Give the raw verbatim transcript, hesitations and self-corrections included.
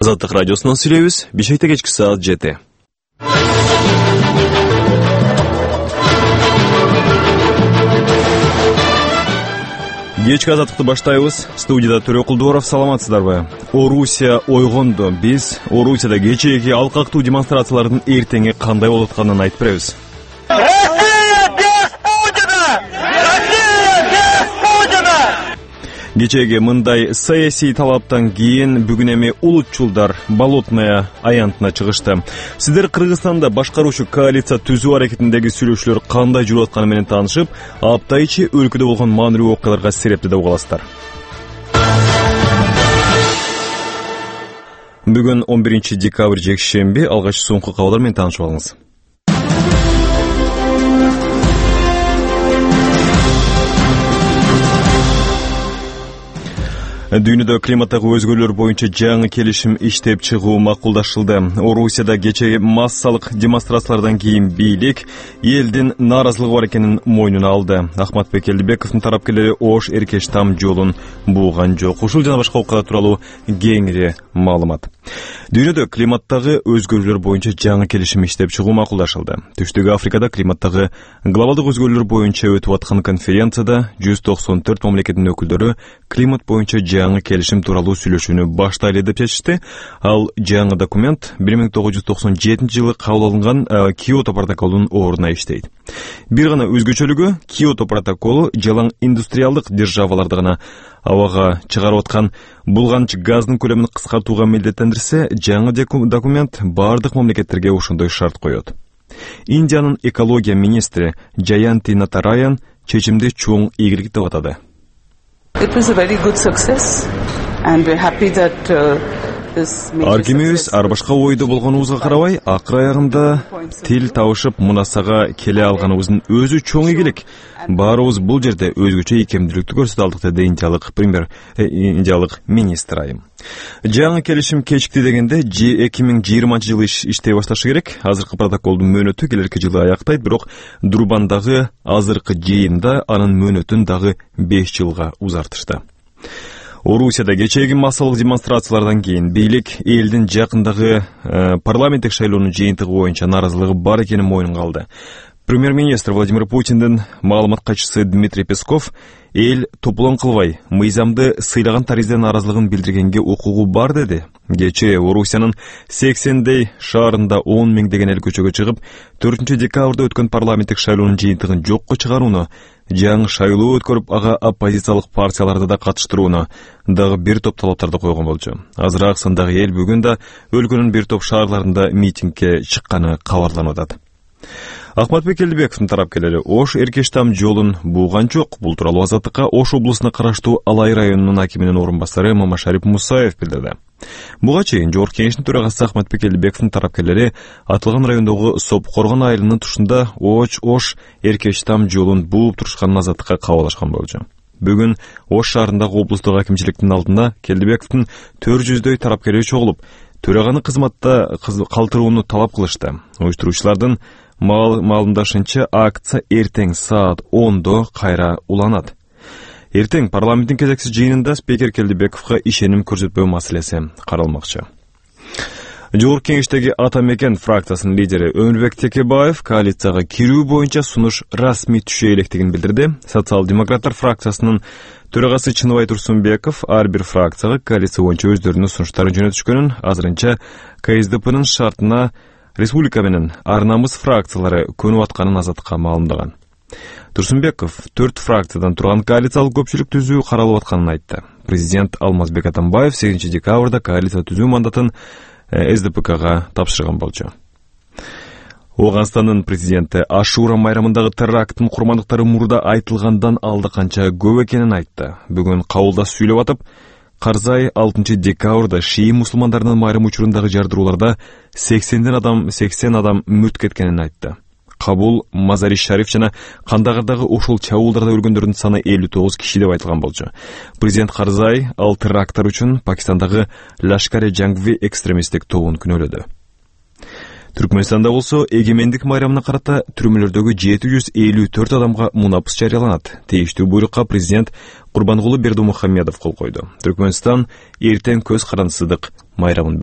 Азаттык радиосунан сүйлөйбүз. Бишкекте кечки саат жети. Кечки азаттыкты баштайбыз. Студияда Төрө Кулдуоров, саламатсыздарбы? Орусия ойгонду. Биз Орусияда кечээги алкактуу демонстрациялардын эртеңи кандай болуп атканын айтып беребиз. Кечеги мындай саясий талаптан кийин бүгүн эми улутчулдар Болотная аянтына чыгышты. Сиздер Кыргызстанда башкаруучу коалиция түзүү аракетиндеги сүйлөшүүлөр кандай жүрүп атканы менен таанышып, апта ичи өлкөдө болгон маанилүү окуяларга серепти деп угаласыздар. Бүгүн он биринчи декабрь жекшемби, алгач соңку кабарлар менен таанышып алыңыз. Дүйнөдө климаттагы өзгөрүүлөр боюнча жаңы келишим иштеп чыгуу макулдашылды. Орусияда кечээ массалык демонстрациялардан кийин бийлик элдин нааразылыгы бар экенин мойнуна алды. Ахматбек Элдибековдун тарапкерлери Ош Эркеш там жолун бууган жок. Ушул жана башка окуялар тууралуу кеңири маалымат. Дүйнөдө климаттагы өзгөрүүлөр боюнча жаңы келишим иштеп чыгуу макулдашылды. Түштүк Африкада климаттагы глобалдык өзгөрүүлөр боюнча өтүп аткан конференцияда жүз токсон төрт мамлекеттин өкүлдөрү климат боюнча жаңы келишим тууралуу сүйлөшүүнү баштайлы деп чечишти. Ал жаңы документ бир миң тогуз жүз токсон жетинчи жылы кабыл алынган Киото протоколунун ордуна иштейт. Бир гана өзгөчөлүгү Киото протоколу жалаң индустриалдык державаларды гана абага чыгарып аткан булганч газдын көлөмүн кыскартууга милдеттендирсе, жаңы документ бардык мамлекеттерге ошондой шарт коет. Индиянын экология министри Джаянти Натараян чечимди чоң ийгилик деп атады. It was a very good success and we're happy that uh, this Аргимибиз ар башка ойдо болгонубузга карабай, акыр аягында тил табышып мунасага келе алганыбыздын өзү чоң ийгилик. Баарыбыз бул жерде өзгөчө ийкемдүүлүктү көрсөтө алдык, деди индиялык премьер э, индиялык министр айым. Жаңы келишим кечикти дегенде эки миң жыйырманчы жылы иш, иштей башташы керек. Азыркы протоколдун мөөнөтү келерки жылы аяктайт, бирок Дурбандагы азыркы жыйында анын мөөнөтүн дагы беш жылга узартышты. Орусияда кечээги массалык демонстрациялардан кийин бийлик элдин жакындагы э, парламенттик шайлоонун жыйынтыгы боюнча нааразылыгы бар экенин мойнунга алды. Премьер-министр Владимир Путиндин маалымат катчысы Дмитрий Песков эл топлон кылбай, мыйзамды сыйлаган таризде нааразылыгын билдиргенге укугу бар деди. Кечээ Орусиянын сексендей шаарында он миңдеген эл көчөгө чыгып, төртүнчү декабрда өткөн парламенттик шайлоонун жыйынтыгын жокко чыгарууну, жаңы шайлоо өткөрүп, ага оппозициялык партияларды да катыштырууну дагы бир топ талаптарды койгон болчу. Азыраак сандагы эл бүгүн да өлкөнүн бир топ шаарларында митингге чыкканы кабарланып атат. Ахматбек Элдибековдун тарапкерлери Ош Эркеш там жолун бууган жок. Бул тууралуу Азаттыкка Ош облусуна караштуу Алай районунун акиминин орун басары Мамашарип Мусаев билдирди. Буга чейин Жогорку Кеңештин төрагасы Ахматбек Элдибековдун тарапкерлери атылган райондогу Сопкоргон айылынын тушунда Оч Ош Эркеш там жолун бууп турушканын Азаттыкка кабарлашкан болчу. Бүгүн Ош шаарындагы облустук акимчиликтин алдында Элдибековдун төрт жүздөй тарапкери чогулуп, төраганы кызматта калтырууну талап кылышты. Уюштуруучулардын маалымдашынча акция эртең саат ондо кайра уланат. Эртең парламенттин кезексиз жыйынында спикер Элдибековго ишеним көрсөтпөө маселеси каралмакчы. Жогорку Кеңештеги Ата Мекен фракциясынын лидери Өмүрбек Текебаев коалицияга кирүү боюнча сунуш расмий түшө электигин билдирди. Социал-демократтар фракциясынын төрагасы Чыныбай Турсунбеков ар бир фракцияга коалиция боюнча өздөрүнүн сунуштарын жөнөтүшкөнүн, азырынча КСДПнын шартына Республика менен Ар намыс фракциялары көнүп атканын Азаттыкка маалымдаган. Турсунбеков төрт фракциядан турган коалициялык көпчүлүк түзүү каралып атканын айтты. Президент Алмазбек Атамбаев сегизинчи декабрда коалиция түзүү мандатын СДПКга тапшырган болчу. Ооганстандын президенти Ашура майрамындагы теракттын курмандыктары мурда айтылгандан алда канча көп экенин айтты. Бүгүн кабылда сүйлөп атып, Карзай алтынчы декабрда шии мусулмандарынын майрам учурундагы жардырууларда сексенден адам сексен адам мүрт кеткенин айтты. Кабул, Мазари Шариф жана Кандагардагы ошол чабуулдарда өлгөндөрдүн саны элүү тогуз киши деп айтылган болчу. Президент Карзай ал теракттар үчүн Пакистандагы Лашкар-e-Jangvi экстремисттик тобун күнөөлөдү. Түркмөнстанда болсо эгемендик майрамына карата түрмөлөрдөгү жети жүз элүү төрт адамга мунапыс жарыяланат. Тийиштүү буйрукка президент Курбангулы Бердимухамедов кол койду. Түркмөнстан эртең көз карандысыздык майрамын